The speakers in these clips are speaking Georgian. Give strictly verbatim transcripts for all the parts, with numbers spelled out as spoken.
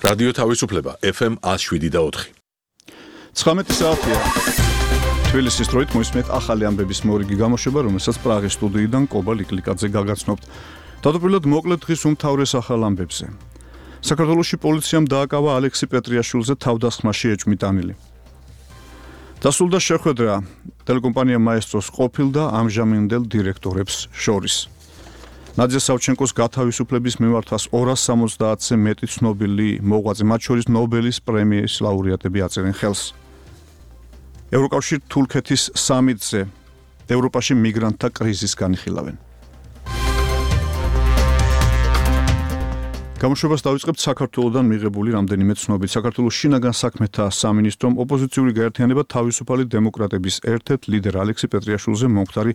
რადიო თავისუფლება ეფ ემ one oh seven და four. ცხრამეტი საათია. თბილისის დროით მოისმენთ ახალი ამბების მორიგი გამოშვება, რომელსაც პრაღის სტუდიიდან კობა ლიკლიკაძე გაგაცნობთ. თავდაპირველად მოკლედ დღის უმთავრეს ახალ ამბებზე. საქართველოში პოლიციამ დააკავა ალექსი პეტრიაშვილზე თავდასხმაში ეჭვმიტანილი. დასრულდა შეხვედრა ტელეკომპანია მაესტროს ყოფილ და ამჟამინდელ დირექტორებს შორის. ნადია სავჩენკოს გათავისუფლების მიმართვას ორას სამოცდაათზე მეტი ცნობილი მოღვაწე, მათ შორის ნობელის პრემიის ლაურეატები აწერენ ხელს. ევროკავშირ თურქეთის სამიტზე ევროპაში მიგრანტთა კრიზისს განიხილავენ. გამოშვებას დავიწყებთ საქართველოსდან მიღებული რამდენიმე ცნობით. საქართველოს შინაგან საქმეთა სამინისტრომ ოპოზიციური გაერთიანება თავისუფალი დემოკრატების ერთ-ერთ ლიდერ ალექსი პეტრიაშვილზე მომხდარი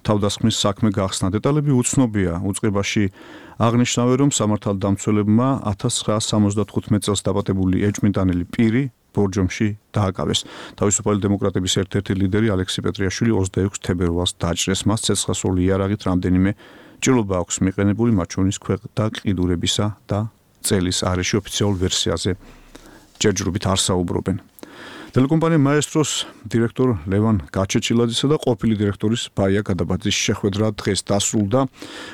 თავდასხმის საქმე გახსნა. დეტალები უცნობია. უწყებაში აღნიშნავენ, რომ სამართალდამცველებმა ათას ცხრაას სამოცდათხუთმეტ წელს დაპატებული ეჭვმიტანილი პირი ბორჯომში დააკავეს. თავისუფალი დემოკრატების ერთ-ერთი ლიდერი ალექსი პეტრიაშვილი ოცდაექვსი თებერვალს დაჭრეს. მას ცეცხლსასროლი იარაღით რამდენიმე ჭრილობა აქვს მიყენებული, მათ შორის ქვეყნთა ყიდურებისა და წელის არეში ოფიციალურ ვერსიაზე ჯერჯერობით არ საუბრობენ. ტელეკომპანია მაესტროს დირექტორ ლევან გაჩეჩილაძისა და ყოფილი დირექტორის ბაია გადაბაძის შეხვედრა დღეს დასრულდა.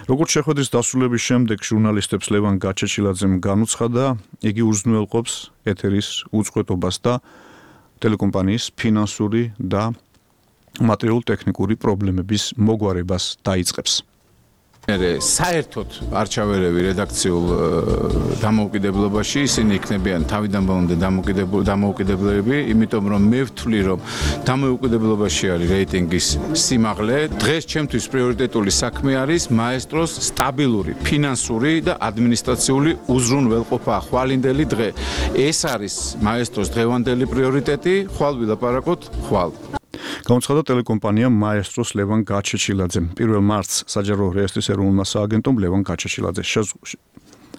როგორც შეხვედრის დასრულების შემდეგ ჟურნალისტებს ლევან გაჩეჩილაძემ განუცხადა, იგი უზრუნველყოფს ეთერის უწყვეტობას და ტელეკომპანიის ფინანსური და მატერიალურ-ტექნიკური პრობლემების მოგვარებას დაიწყებს. საერთოდ არჩევერები რედაქციულ დამოუკიდებლობაში ისინი იქნებიან თავიდან ბოლომდე დამოუკიდებლები, იმიტომ რომ მე ვთვლი, რომ დამოუკიდებლობაში არის რეიტინგის სიმაღლე. დღეს ჩემთვის პრიორიტეტული საქმე არის მაესტროს სტაბილური ფინანსური და ადმინისტრაციული უზრუნველყოფა, ხვალინდელი დღე. ეს არის მაესტროს დღევანდელი პრიორიტეტი, ხვალ ვილაპარაკოთ, ხვალ. გამოცხადა ტელეკომპანია მაესტროს ლევან გაჩეჩილაძემ. პირველ მარტს საჯარო რეესტრის ეროვნულმა სააგენტომ ლევან გაჩეჩილაძე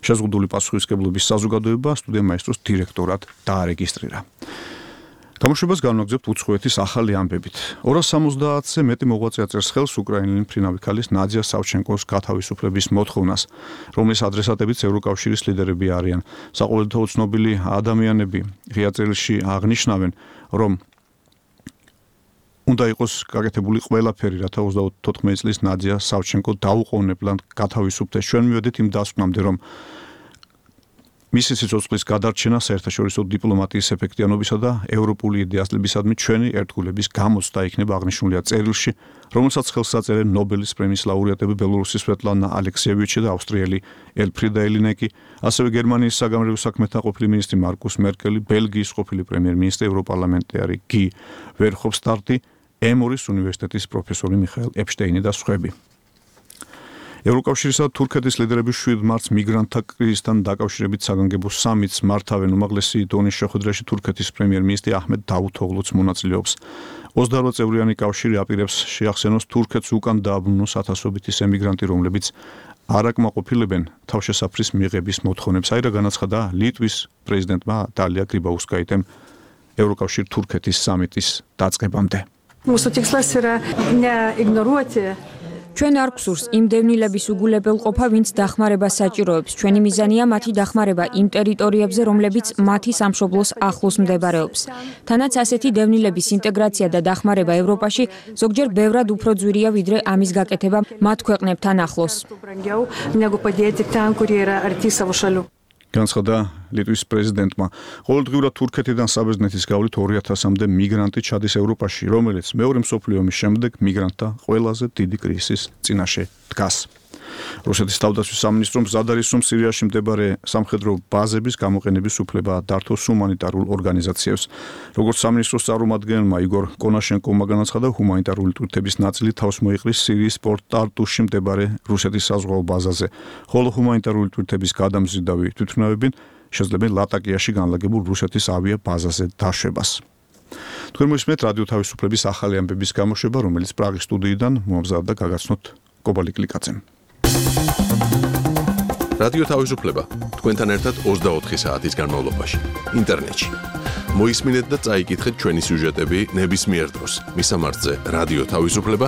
შეზღუდული პასუხისმგებლობის საზოგადოება სტუდია მაესტროს დირექტორად დაარეგისტრირა. გამოშვებას განვაგრძობთ უცხოეთის ახალი ამბებით. ორას სამოცდაათზე მეტი მოღვაწე აწერს ხელს უკრაინელი მფრინავი ქალის ნადია სავჩენკოს გათავისუფლების მოთხოვნას, რომლის ადრესატებიც ევროკავშირის ლიდერები არიან. საყოველთაო ცნობილი ადამიანები ღია წერილში აღნიშნავენ, რომ უნდა იყოს გაკეთებული ყველაფერი, რათა ოცდაოთხ წლის ნადია სავჩენკო დაუყოვნებლად გათავისუფლდეს. ჩვენ მივედით იმ დასკვნამდე, რომ მისი სიცოცხლის გადარჩენა საერთაშორისო დიპლომატიის ეფექტიანობისა და ევროპული იდეასლებისადმი ჩვენი ერთგულების გამოცდა იქნება აღნიშნულია წერილში, რომელსაც ხელს აწერენ ნობელის პრემიის ლაურეატები ბელორუსის სვეტლანა ალექსიევიჩი და ავსტრიელი ელფრიდა ელინეკი, ასევე გერმანიის საგამოძიებო საქმეთა ყოფილი მინისტრი მარკუს მერკელი, ბელგიის ყოფილი პრემიერ-მინისტრი, ევროპარლამენტარი გი ვერჰოფსტადტი, ემორის უნივერსიტეტის პროფესორი მიხაელ ეპშტეინი და სხვები. ევროკავშირისა და თურქეთის ლიდერები შვიდ მარტს მიგრანტთა კრიზისთან დაკავშირებით საგანგებო სამიტს მართავენ. უმაღლესი დონის შეხვედრაში თურქეთის პრემიერ-მინისტრი აჰმედ დავუთოღლუც მონაწილეობს. ოცდაოთხ წევრიანი კავშირი აპირებს შეახსენოს თურქეთს უკან დააბრუნოს ათასობით ის ემიგრანტი, რომლებიც არ აკმაყოფილებენ თავშესაფრის მიღების მოთხოვნებს. აი რა განაცხადა ლიტვის პრეზიდენტმა დალია გრიბაუსკაიტემ ევროკავშირ თურქეთის სამიტის დაწყებამდე. ჩვენ არ გვსურს იმ დევნილების უგულებელყოფა, ვინც დახმარებას საჭიროებს. ჩვენი მიზანია მათი დახმარება იმ ტერიტორიებზე, რომლებიც მათი სამშობლოს ახლოს მდებარეობს. თანაც ასეთი დევნილების ინტეგრაცია და დახმარება ევროპაში ზოგჯერ ბევრად უფრო ძვირია, ვიდრე ამის გაკეთება მათ ქვეყნებთან ახლოს. განაცხადა ლიტვის პრეზიდენტმა. ყოველდღიურად თურქეთიდან საბერძნეთის გავლით ორი ათასამდე მიგრანტი ჩადის ევროპაში, რომელიც მეორე მსოფლიო ომის შემდეგ მიგრანტთა ყველაზე დიდი კრიზისის წინაშე დგას. რუსეთის თავდაცვის სამინისტრომ მზად არის, რომ სირიაში მდებარე სამხედრო ბაზების გამოყენების უფლება დართოს ჰუმანიტარულ ორგანიზაციებს. როგორც სამინისტროს წარმომადგენელმა იგორ კონაშენკოვმა განაცხადა, ჰუმანიტარული ტვირთების ნაწილი თავს მოიყრის სირიის პორტ ტარტუში მდებარე რუსეთის საზღვაო ბაზაზე, ხოლო ჰუმანიტარული ტვირთების გადამზიდავი თვითმფრინავები შეძლებენ ლატაკიაში განლაგებულ რუსეთის ავია ბაზაზე დაშვებას. თქვენ მოისმენთ რადიო თავისუფლების ახალი ამბების გამოშვება, რომელიც პრაღის სტუდიიდან მომზადდა გაგაცნოთ კობა ლიკლიკაძემ. რადიო თავისუფლება თქვენთან ერთად ოცდაოთხი საათის განმავლობაში ინტერნეტში. მოისმინეთ და წაიკითხეთ ჩვენი სიუჟეტები ნებისმიერ დროს. მისამართზე რადიო თავისუფლება